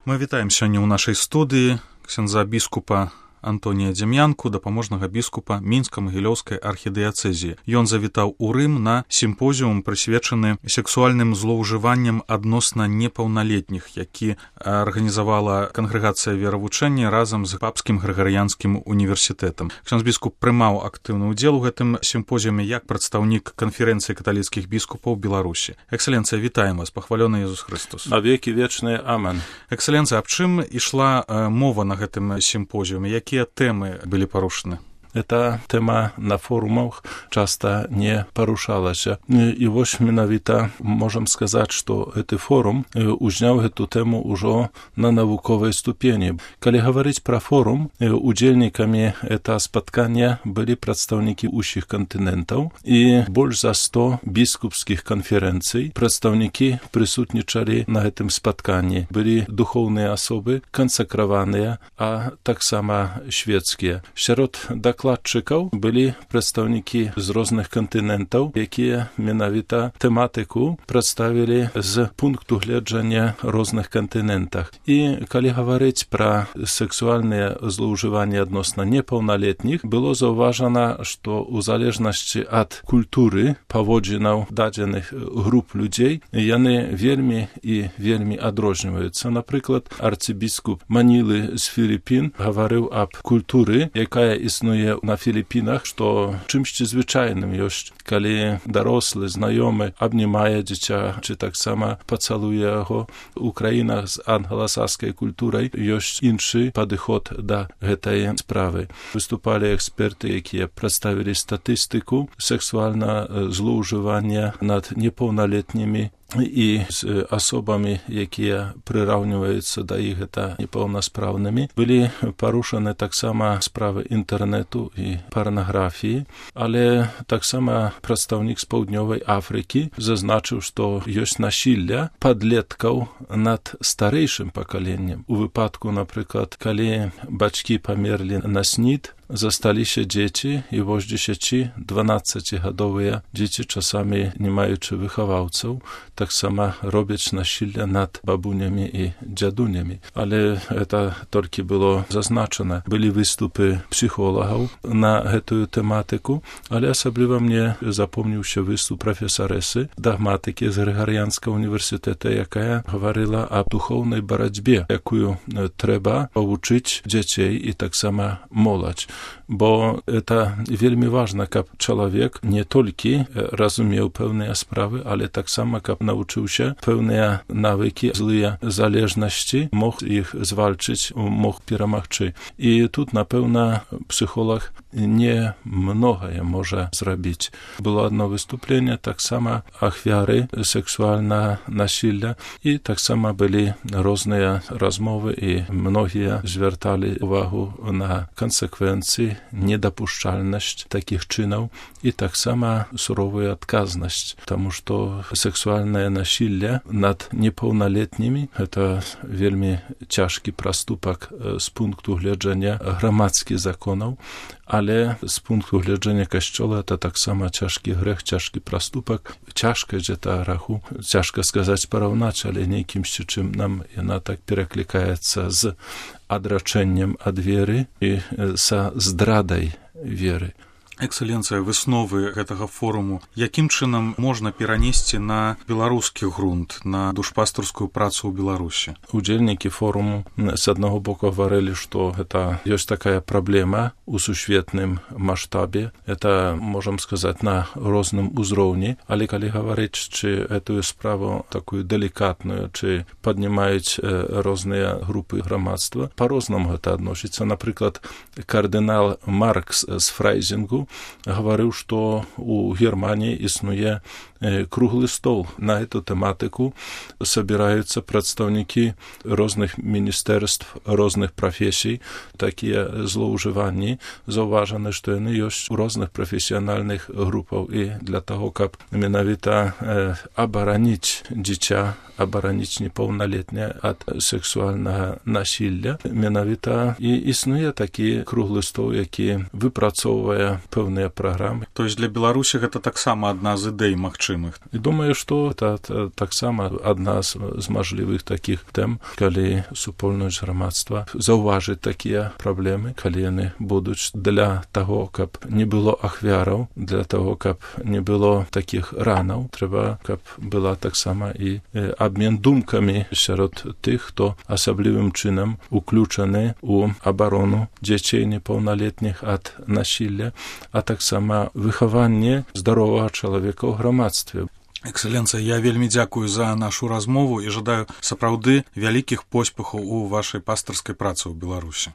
Мы вітаем сёння ў нашай студыі ксяндза біскупа Антонія Дзем'янку, дапаможнага біскупа Мінска-Магілёўскай архідыяцэзіі. Ён завітаў у Рым на сімпозіум, прысвечаны сексуальным злоўжыванням адносна непаўналетніх, які арганізавала кангрэгацыя веравучэння разам з папскім грыгарыянскім універсітэтам. Ксяндз біскуп прымаў актыўны ўдзел у гэтым сімпозіуме як прадстаўнік канферэнцыі каталіцкіх біскупаў Беларусі. Эксцэленцыя, вітаем вас, пахвалёны Езус Христос. На векі вечныя, амен. Эксцэленцыя, аб чым ішла мова на гэтым сімпозіуме? Якія тэмы былі парушаны? Эта тэма на форумах часта не парушалася. І вось менавіта можам сказаць, што гэты форум узняў гэту тэму ўжо на навуковай ступені. Калі гаварыць пра форум, удзельнікамі гэта спаткання былі прадстаўнікі ўсіх кантынентаў і больш за 100 біскупскіх канферэнцый. Прадстаўнікі прысутнічалі на гэтым спатканні. Былі духоўныя асобы, кансакраваныя, а таксама шведскія. Сярод дакладчыкаў былі прадстаўнікі з розных кантынентаў, якія менавіта тэматыку прадставілі з пункту гледжання розных кантынентах. І калі гаварыць пра сексуальныя злоўжыванні адносна непаўналетніх, было заўважана, што ў залежнасці ад культуры паводзінаў дадзеных груп людзей, яны вельмі і вельмі адрозніваюцца. Напрыклад, арцыбіскуп Манілы з Філіпін гаварыў аб культуры, якая існуе на Філіпінах, што чымсьці звычайным ёсць, калі дарослы, знаёмы абнімае дзіця, ці таксама пацалуе яго. У краінах з англасаскай культурай ёсць іншы падыход да гэтай справы. Выступалі эксперты, якія прадставілі статыстыку сексуальна злоўжывання над непаўналетнімі і з асобамі, якія прыраўніваюцца да іх гэта непаўнаспраўнымі. Былі парушаны таксама справы інтэрнэту і парнаграфіі, але таксама прадстаўнік з паўднёвай Афрыкі зазначыў, што ёсць насілля падлеткаў над старэйшым пакаленнем. У выпадку, напрыклад, калі бацькі памерлі на СНИД, засталіся дзеці, і вось 10-12гадовыя дзеці, часамі не маючы выхаваўцаў, таксама робяць насілля над бабунямі і дзядунямі. Але гэта толькі было зазначана. Былі выступы псіхолагаў на гэтую тэматыку, але асабліва мне запомніўся выступ прафесарэсы дагматыкі з Грыгарыянскага універсітэта, якая гаварыла аб духоўнай барацьбе, якую трэба павучыць дзяцей і таксама моладзь. Бо это вельмі важна, каб чалавек не толькі разумеў пэўныя справы, але таксама, каб навучыўся пэўныя навыкі, злыя залежнасці, мог іх звальчыць, мог перамагчы. І тут, напэўна, псіхолог не многае можа зрабіць. Было одно выступленне, таксама ахвяры сексуальнага насілля, і таксама былі розныя размовы, і многія звярталі увагу на канsekwencje, недапушчальнасць такіх чынаў і таксама суровую адказнасць, таму што сексуальнае насілля над непаўналетнімі — гэта вельмі цяжкі праступак з пункту гледжання грамадскіх законаў, але з пункту гледжання касцёла это таксама цяжкі грэх, цяжкі праступак. Цяжкасць гэта граху, цяжка сказаць параўнаць, але нейкімсьці чым нам яна так пераклікаецца з адрачэннем ад веры і са здрадай веры. Эксцэленцыя, высновы гэтага форуму якім чынам можна перанесці на беларускі грунт, на душпастарскую працу ў Беларусі? Удзельнікі форуму з аднаго боку гаварылі, што гэта ёсць такая праблема у сусветным маштабе. Это, можам сказаць, на розным узроўні, але калі гаварыць, чи гэтую справу такую далікатную, чи паднімаюць розныя групы грамадства, па-рознаму гэта адносіцца. Напрыклад, кардынал Маркс з Фрайзінгу гаварыў, што у Германіі існуе круглы стол на эту тэматыку, сабіраюцца прадстаўнікі розных міністэрств, розных прафесій. Такія злоўжыванні заўважаны, што яны ёсць у розных прафесіянальных групаў, і для таго, каб менавіта абараніць дзіця, абараніць непаўналетняе ад сексуальнага насілля, менавіта і існуе такі круглы стол, які выпрацоўвае пэўныя праграмы. То есть для Беларусі гэта таксама адна з ідэй магчымых магчымых. І думаю, што это таксама адна з мажлівых такіх тэм, калі супольнасць грамадства заўважыць такія праблемы, калі яны будуць для таго, каб не было ахвяраў, для таго, каб не было такіх ранаў, трэба, каб была таксама і абмен думкамі сярод тых, хто асаблівым чынам уключаны ў абарону дзяцей непаўналетніх ад насілля, а таксама выхаванне здаровага чалавека ў грамадстве. Экселенцыя, я вельмі дзякую за нашу размову і жадаю сапраўды вялікіх поспехаў у вашай пастырскай працы ў Беларусі.